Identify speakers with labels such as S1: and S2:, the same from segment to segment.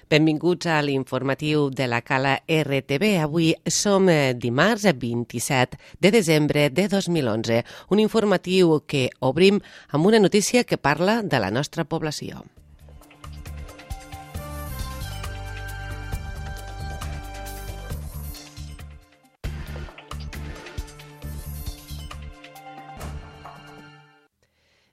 S1: Benvinguts a l'informatiu de la Cala RTV. Avui som dimarts 27 de desembre de 2011. Un informatiu que obrim amb una notícia que parla de la nostra població.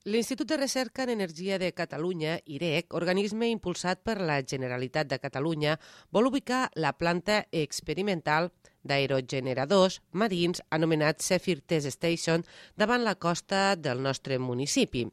S1: L'Institut de Recerca en Energia de Catalunya, IREC, organisme impulsat per la Generalitat de Catalunya, vol ubicar la planta experimental d'aerogeneradors marins anomenat Zephyr Test Station davant la costa del nostre municipi.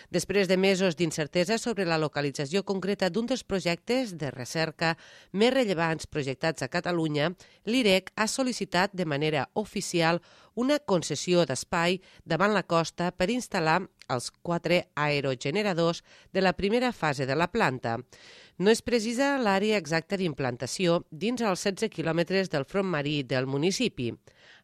S1: Després de mesos d'incertesa sobre la localització concreta d'un dels projectes de recerca més rellevants projectats a Catalunya, l'IREC ha sol·licitat de manera oficial una concessió d'espai davant la costa per instal·lar els 4 aerogeneradors de la primera fase de la planta. No es precisa l'àrea exacta d'implantació dins els 16 quilòmetres del front marí del municipi.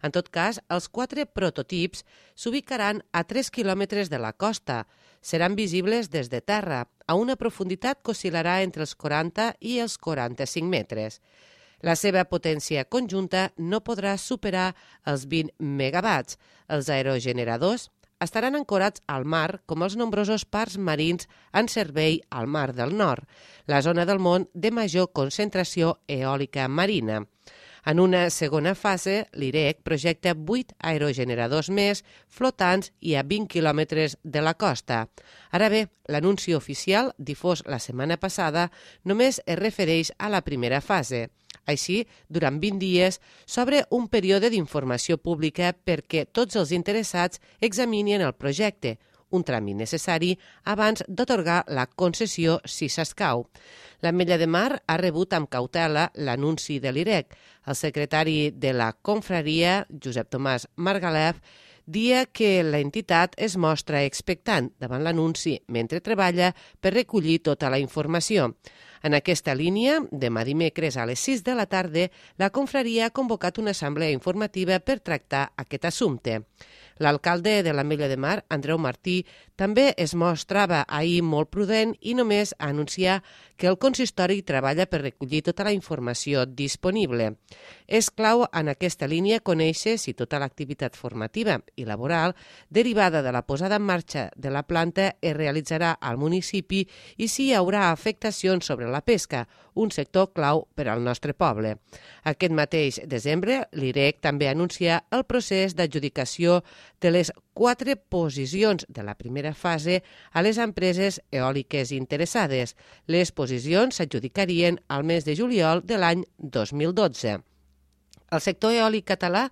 S1: En tot cas, els 4 prototips s'ubicaran a 3 quilòmetres de la costa. Seran visibles des de terra, a una profunditat que oscil·larà entre els 40 i els 45 metres. La seva potència conjunta no podrà superar els 20 megawatts. Els aerogeneradors estaran ancorats al mar com els nombrosos parcs marins en servei al Mar del Nord, la zona del món de major concentració eòlica marina. En una segona fase, l'IREC projecta 8 aerogeneradors més flotants i a 20 quilòmetres de la costa. Ara bé, l'anunci oficial, difós la setmana passada, només es refereix a la primera fase. Així, durant 20 dies, s'obre un període d'informació pública perquè tots els interessats examinin el projecte, un tràmit necessari abans d'atorgar la concessió si s'escau. L'Ametlla de Mar ha rebut amb cautela l'anunci de l'IREC. El secretari de la confraria, Josep Tomàs Margalef, dia que l'entitat es mostra expectant davant l'anunci mentre treballa per recollir tota la informació. En aquesta línia, demà dimecres a les 6 de la tarda, la confraria ha convocat una assemblea informativa per tractar aquest assumpte. L'alcalde de l'Ametlla de Mar, Andreu Martí, també es mostrava ahir molt prudent i només anunciar que el consistori treballa per recollir tota la informació disponible. És clau en aquesta línia conèixer si tota l'activitat formativa i laboral derivada de la posada en marxa de la planta es realitzarà al municipi i si hi haurà afectacions sobre la pesca, un sector clau per al nostre poble. Aquest mateix desembre, l'IREC també anuncia el procés d'adjudicació de les 4 posicions de la primera fase a les empreses eòliques interessades. Les posicions s'adjudicarien al mes de juliol de l'any 2012. El sector eòlic català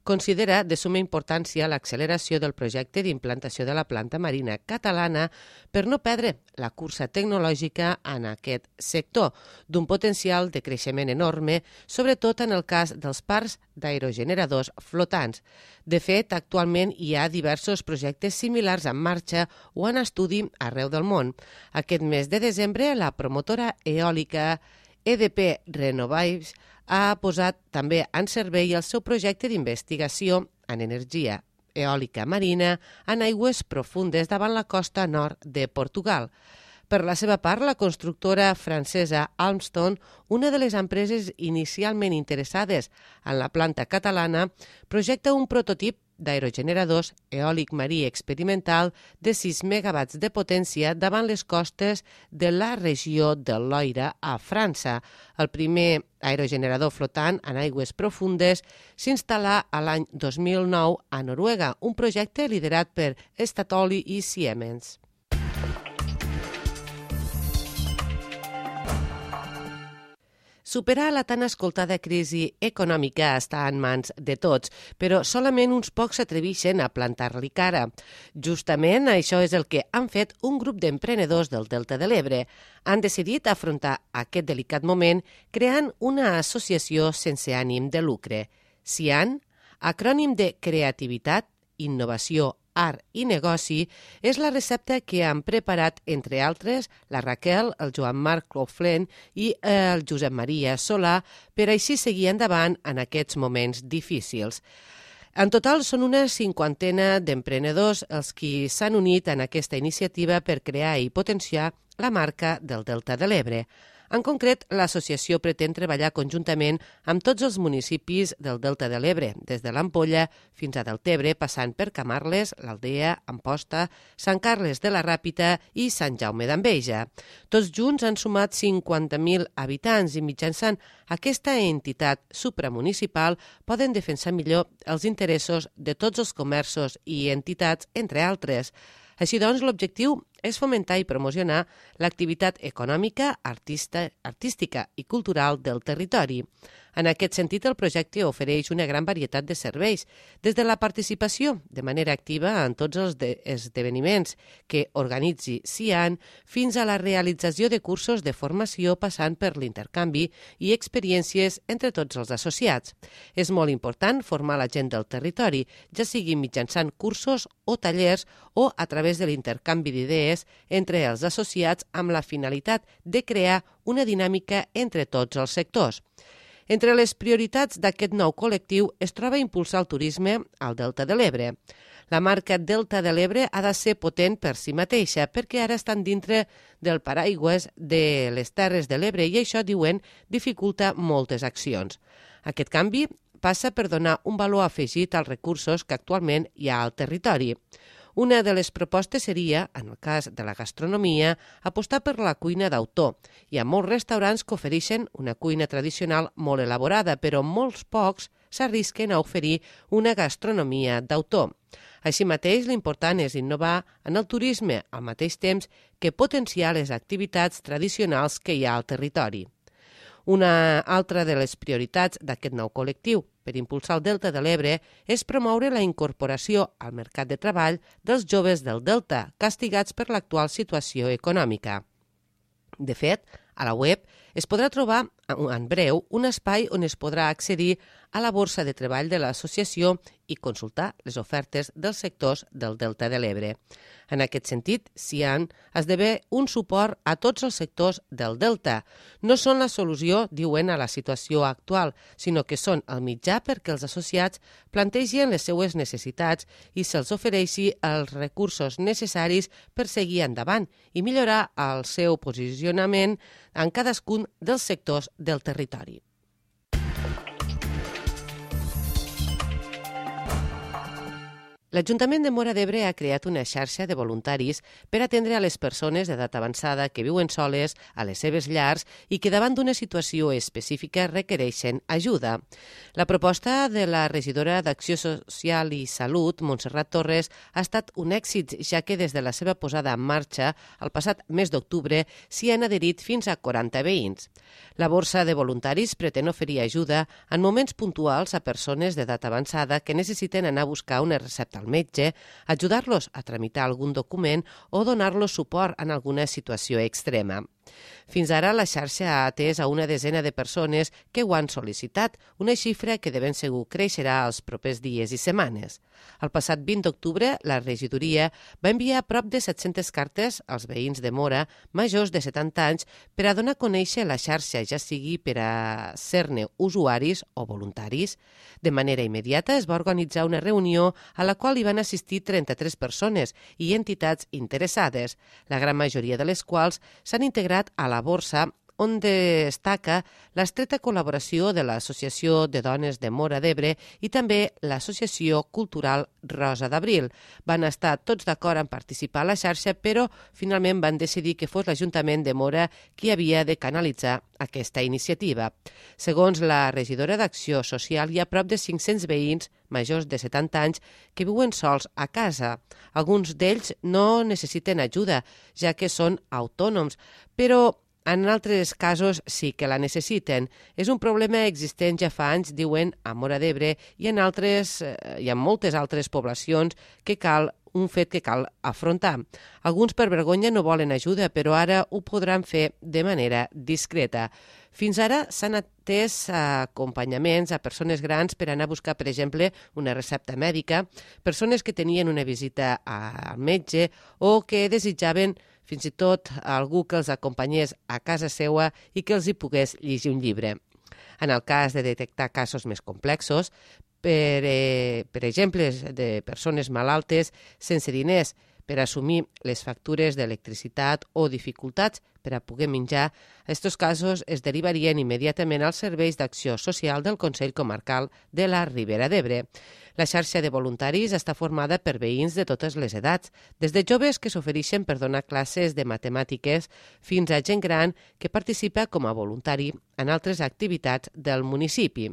S1: considera de summa importància l'acceleració del projecte d'implantació de la planta marina catalana per no perdre la cursa tecnològica en aquest sector, d'un potencial de creixement enorme, sobretot en el cas dels parcs d'aerogeneradors flotants. De fet, actualment hi ha diversos projectes similars en marxa o en estudi arreu del món. Aquest mes de desembre, la promotora eòlica EDP Renovables ha posat també en servei el seu projecte d'investigació en energia eòlica marina en aigües profundes davant la costa nord de Portugal. Per la seva part, la constructora francesa Alstom, una de les empreses inicialment interessades en la planta catalana, projecta un prototip d'aerogeneradors eòlic marí experimental de 6 megawatts de potència davant les costes de la regió del Loira a França. El primer aerogenerador flotant en aigües profundes s'instal·là a l'any 2009 a Noruega, un projecte liderat per Statoil i Siemens. Superar la tan escoltada crisi econòmica està en mans de tots, però solament uns pocs s'atreveixen a plantar-li cara. Justament això és el que han fet un grup d'emprenedors del Delta de l'Ebre. Han decidit afrontar aquest delicat moment creant una associació sense ànim de lucre. CIAN, acrònim de creativitat, innovació, art i negoci, és la recepta que han preparat, entre altres, la Raquel, el Joan Marc Cloflent i el Josep Maria Solà, per així seguir endavant en aquests moments difícils. En total són una 50 d'emprenedors els qui s'han unit en aquesta iniciativa per crear i potenciar la marca del Delta de l'Ebre. En concret, l'associació pretén treballar conjuntament amb tots els municipis del Delta de l'Ebre, des de l'Ampolla fins a Deltebre, passant per Camarles, l'Aldea, Amposta, Sant Carles de la Ràpita i Sant Jaume d'Enveja. Tots junts han sumat 50.000 habitants i mitjançant aquesta entitat supramunicipal poden defensar millor els interessos de tots els comerços i entitats, entre altres. Així doncs, l'objectiu és fomentar i promocionar l'activitat econòmica, artística i cultural del territori. En aquest sentit, el projecte ofereix una gran varietat de serveis, des de la participació de manera activa en tots els esdeveniments que organitzi CIAN fins a la realització de cursos de formació passant per l'intercanvi i experiències entre tots els associats. És molt important formar la gent del territori, ja sigui mitjançant cursos o tallers o a través de l'intercanvi d'idees entre els associats amb la finalitat de crear una dinàmica entre tots els sectors. Entre les prioritats d'aquest nou col·lectiu es troba impulsar el turisme al Delta de l'Ebre. La marca Delta de l'Ebre ha de ser potent per si mateixa perquè ara estan dintre del paraigües de les Terres de l'Ebre i això, diuen, dificulta moltes accions. Aquest canvi passa per donar un valor afegit als recursos que actualment hi ha al territori. Una de les propostes seria, en el cas de la gastronomia, apostar per la cuina d'autor. Hi ha molts restaurants que ofereixen una cuina tradicional molt elaborada, però molts pocs s'arrisquen a oferir una gastronomia d'autor. Així mateix, l'important és innovar en el turisme al mateix temps que potenciar les activitats tradicionals que hi ha al territori. Una altra de les prioritats d'aquest nou col·lectiu per impulsar el Delta de l'Ebre és promoure la incorporació al mercat de treball dels joves del Delta, castigats per l'actual situació econòmica. De fet, a la web es podrà trobar en breu un espai on es podrà accedir a la borsa de treball de l'associació i consultar les ofertes dels sectors del Delta de l'Ebre. En aquest sentit, CIAN esdevé un suport a tots els sectors del Delta. No són la solució, diuen, a la situació actual, sinó que són el mitjà perquè els associats plantegin les seues necessitats i se'ls ofereixi els recursos necessaris per seguir endavant i millorar el seu posicionament en cadascun dels sectors del territori. L'Ajuntament de Móra d'Ebre ha creat una xarxa de voluntaris per atendre a les persones d'edat avançada que viuen soles a les seves llars i que davant d'una situació específica requereixen ajuda. La proposta de la regidora d'Acció Social i Salut, Montserrat Torres, ha estat un èxit, ja que des de la seva posada en marxa, el passat mes d'octubre, s'hi han adherit fins a 40 veïns. La borsa de voluntaris pretén oferir ajuda en moments puntuals a persones d'edat avançada que necessiten anar a buscar una recepta al metge, ajudar-los a tramitar algun document o donar-los suport en alguna situació extrema. Fins ara, la xarxa ha atès a una desena de persones que ho han sol·licitat, una xifra que de ben segur creixerà els propers dies i setmanes. El passat 20 d'octubre, la regidoria va enviar prop de 700 cartes als veïns de Móra majors de 70 anys per a donar a conèixer la xarxa, ja sigui per a ser-ne usuaris o voluntaris. De manera immediata es va organitzar una reunió a la qual hi van assistir 33 persones i entitats interessades, la gran majoria de les quals s'han integrat a la borsa, on destaca l'estreta col·laboració de l'Associació de Dones de Móra d'Ebre i també l'Associació Cultural Rosa d'Abril. Van estar tots d'acord en participar a la xarxa, però finalment van decidir que fos l'Ajuntament de Móra qui havia de canalitzar aquesta iniciativa. Segons la regidora d'Acció Social, hi ha prop de 500 veïns majors de 70 anys que viuen sols a casa. Alguns d'ells no necessiten ajuda, ja que són autònoms, però en altres casos sí que la necessiten. És un problema existent ja fa anys, diuen, a Móra d'Ebre i en moltes altres poblacions un fet que cal afrontar. Alguns per vergonya no volen ajuda, però ara ho podran fer de manera discreta. Fins ara s'han atès acompanyaments a persones grans per anar a buscar, per exemple, una recepta mèdica, persones que tenien una visita al metge o que desitjaven fins i tot algú que els acompanyés a casa seua i que els hi pogués llegir un llibre. En el cas de detectar casos més complexos, per exemple, de persones malaltes sense diners per assumir les factures d'electricitat o dificultats per a poder menjar, aquests casos es derivarien immediatament als serveis d'acció social del Consell Comarcal de la Ribera d'Ebre. La xarxa de voluntaris està formada per veïns de totes les edats, des de joves que s'ofereixen per donar classes de matemàtiques fins a gent gran que participa com a voluntari en altres activitats del municipi.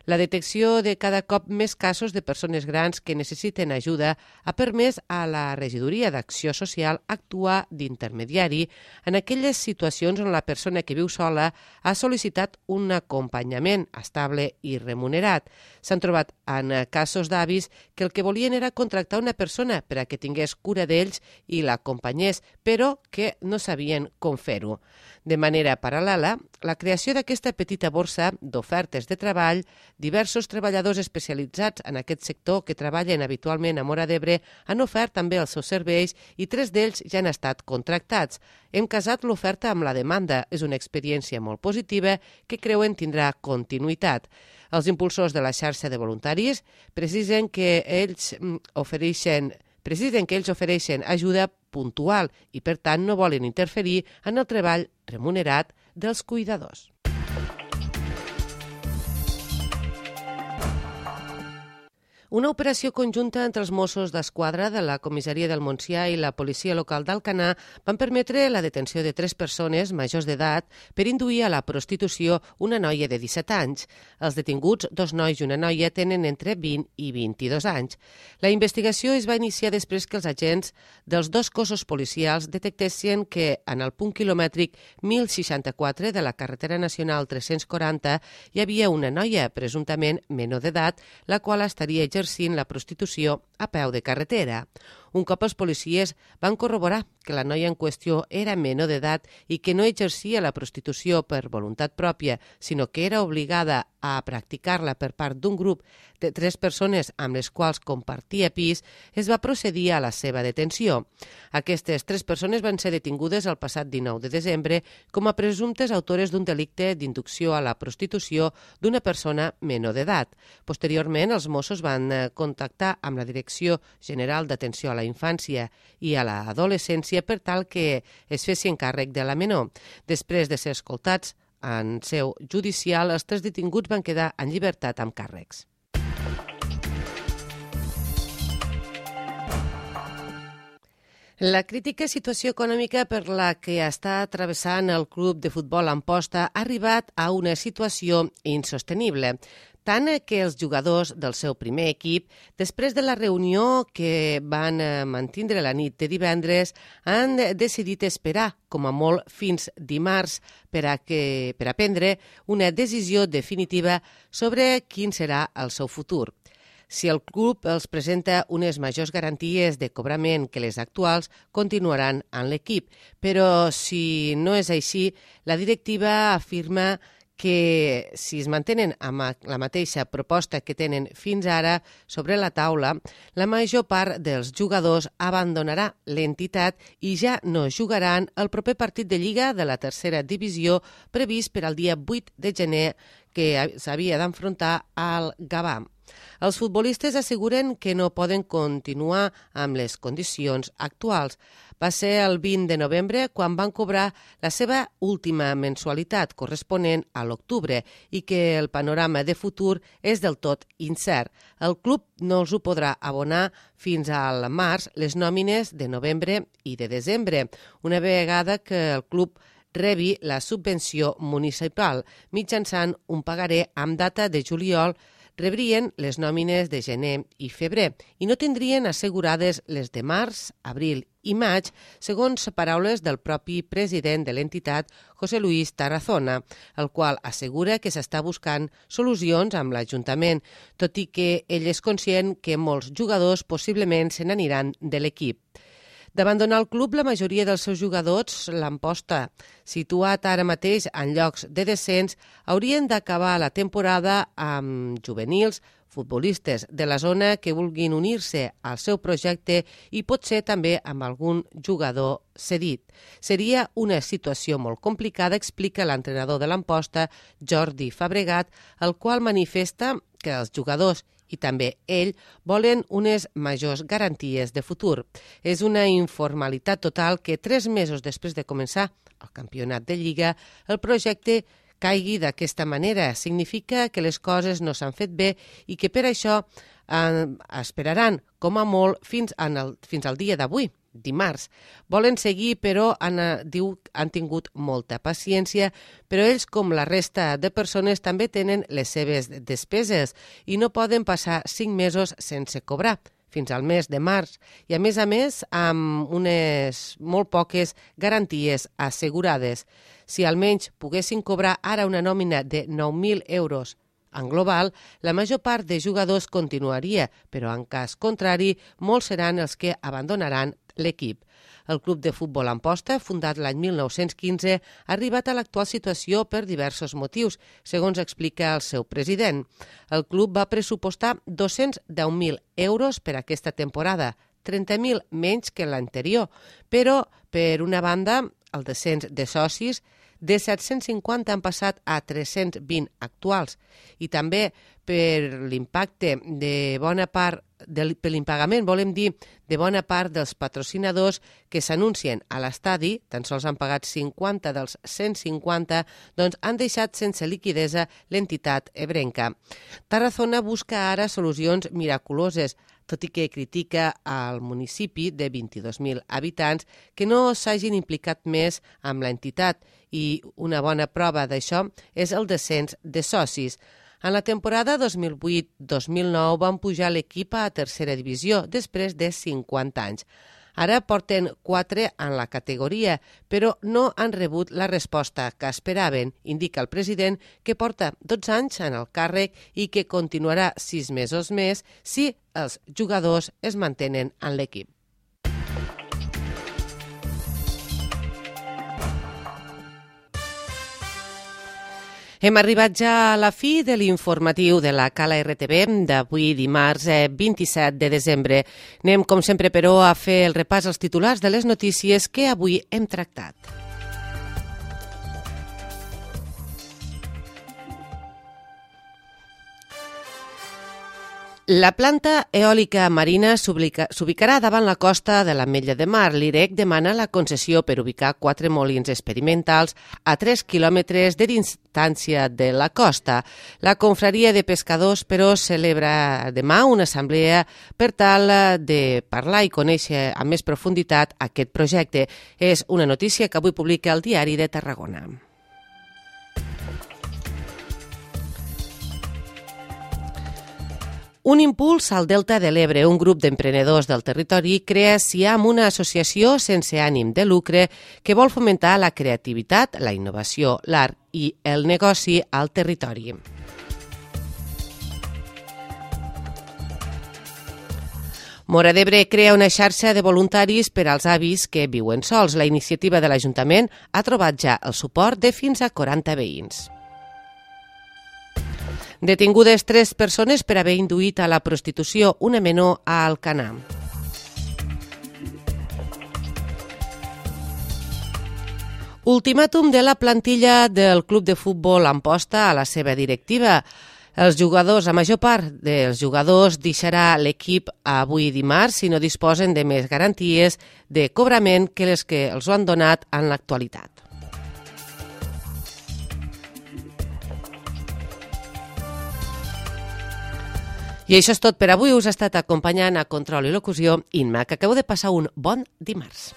S1: La detecció de cada cop més casos de persones grans que necessiten ajuda ha permès a la Regidoria d'Acció Social actuar d'intermediari en aquelles situacions on la persona que viu sola ha sol·licitat un acompanyament estable i remunerat. S'han trobat en casos d'avis que el que volien era contractar una persona per a que tingués cura d'ells i l'acompanyés, però que no sabien com fer-ho. De manera paral·lela, la creació d'aquesta petita borsa d'ofertes de treball, diversos treballadors especialitzats en aquest sector que treballen habitualment a Móra d'Ebre han ofert també els seus serveis i 3 d'ells ja han estat contractats. Hem casat l'oferta amb la demanda. És una experiència molt positiva que creuen tindrà continuïtat. Els impulsors de la xarxa de voluntaris precisen que ells ofereixen ajuda puntual i, per tant, no volen interferir en el treball remunerat dels cuidadors. Una operació conjunta entre els Mossos d'Esquadra de la Comissaria del Montsià i la Policia Local d'Alcanar van permetre la detenció de 3 persones majors d'edat per induir a la prostitució una noia de 17 anys. Els detinguts, 2 nois i una noia, tenen entre 20 i 22 anys. La investigació es va iniciar després que els agents dels 2 cossos policials detectessin que en el punt quilomètric 1064 de la carretera nacional 340 hi havia una noia, presumptament menor d'edat, la qual estaria exercint la prostitució a peu de carretera. Un cop els policies van corroborar que la noia en qüestió era menor d'edat i que no exercia la prostitució per voluntat pròpia, sinó que era obligada a practicar-la per part d'un grup de 3 persones amb les quals compartia pis, es va procedir a la seva detenció. Aquestes 3 persones van ser detingudes el passat 19 de desembre com a presumptes autores d'un delicte d'inducció a la prostitució d'una persona menor d'edat. Posteriorment, els Mossos van contactar amb la Direcció General d'Atenció a la Infància i a l'Adolescència per tal que es fessin càrrec de la menor. Després de ser escoltats en seu judicial, els 3 detinguts van quedar en llibertat amb càrrecs. La crítica situació econòmica per la que està travessant el club de futbol Amposta ha arribat a una situació insostenible, tant que els jugadors del seu primer equip, després de la reunió que van mantindre la nit de divendres, han decidit esperar, com a molt, fins dimarts per a prendre una decisió definitiva sobre quin serà el seu futur. Si el club els presenta unes majors garanties de cobrament que les actuals, continuaran en l'equip. Però si no és així, la directiva afirma que si es mantenen amb la mateixa proposta que tenen fins ara sobre la taula, la major part dels jugadors abandonarà l'entitat i ja no jugaran el proper partit de Lliga de la tercera divisió previst per al dia 8 de gener que s'havia d'enfrontar al Gavà. Els futbolistes asseguren que no poden continuar amb les condicions actuals. Va ser el 20 de novembre quan van cobrar la seva última mensualitat corresponent a l'octubre i que el panorama de futur és del tot incert. El club no els ho podrà abonar fins al març les nòmines de novembre i de desembre, una vegada que el club rebi la subvenció municipal mitjançant un pagaré amb data de juliol. Rebrien les nòmines de gener i febrer i no tindrien assegurades les de març, abril i maig, segons paraules del propi president de l'entitat, José Luis Tarazona, el qual assegura que s'està buscant solucions amb l'Ajuntament, tot i que ell és conscient que molts jugadors possiblement se n'aniran de l'equip. D'abandonar el club, la majoria dels seus jugadors, l'Amposta, situat ara mateix en llocs de descens, haurien d'acabar la temporada amb juvenils, futbolistes de la zona que vulguin unir-se al seu projecte i potser també amb algun jugador cedit. Seria una situació molt complicada, explica l'entrenador de l'Amposta, Jordi Fabregat, el qual manifesta que els jugadors i també ell volen unes majors garanties de futur. És una informalitat total que 3 mesos després de començar el campionat de Lliga, el projecte caigui d'aquesta manera. Significa que les coses no s'han fet bé i que per això esperaran, com a molt, fins al dia d'avui, dimarts. Volen seguir, però han tingut molta paciència, però ells, com la resta de persones, també tenen les seves despeses i no poden passar 5 mesos sense cobrar, fins al mes de març, i a més, amb unes molt poques garanties assegurades. Si almenys poguessin cobrar ara una nòmina de 9.000 euros en global, la major part de jugadors continuaria, però en cas contrari, molts seran els que abandonaran l'equip. El Club de Futbol Amposta, fundat l'any 1915, ha arribat a l'actual situació per diversos motius, segons explica el seu president. El club va pressupostar 210.000 euros per aquesta temporada, 30.000 menys que l'anterior, però, per una banda, el descens de socis de 750 han passat a 320 actuals i també per l'impacte de bona part per l'impagament, volem dir, de bona part dels patrocinadors que s'anuncien a l'estadi, tan sols han pagat 50 dels 150, doncs han deixat sense liquidesa l'entitat ebrenca. Tarazona busca ara solucions miraculoses, tot i que critica al municipi de 22.000 habitants que no s'hagin implicat més amb l'entitat i una bona prova d'això és el descens de socis. En la temporada 2008-2009 van pujar l'equip a tercera divisió després de 50 anys. Ara porten 4 en la categoria, però no han rebut la resposta que esperaven, indica el president, que porta 12 anys en el càrrec i que continuarà 6 mesos més si els jugadors es mantenen en l'equip. Hem arribat ja a la fi de l'informatiu de la Cala RTV d'avui dimarts 27 de desembre. Anem, com sempre, però, a fer el repàs als titulars de les notícies que avui hem tractat. La planta eòlica marina s'ubicarà davant la costa de l'Ametlla de Mar. L'IREC demana la concessió per ubicar 4 molins experimentals a 3 quilòmetres de distància de la costa. La confraria de pescadors, però, celebra demà una assemblea per tal de parlar i conèixer amb més profunditat aquest projecte. És una notícia que avui publica el Diari de Tarragona. Un impuls al Delta de l'Ebre. Un grup d'emprenedors del territori crea SIAM, una associació sense ànim de lucre que vol fomentar la creativitat, la innovació, l'art i el negoci al territori. Móra d'Ebre crea una xarxa de voluntaris per als avis que viuen sols. La iniciativa de l'Ajuntament ha trobat ja el suport de fins a 40 veïns. Detingudes 3 persones per haver induït a la prostitució una menor a Alcanar. Ultimàtum de la plantilla del Club de Futbol Amposta a la seva directiva. La major part dels jugadors deixarà l'equip avui dimarts si no disposen de més garanties de cobrament que les que els han donat en l'actualitat. I això és tot per avui. Us ha estat acompanyant a Control i Locució Inma, que acabeu de passar un bon dimarts.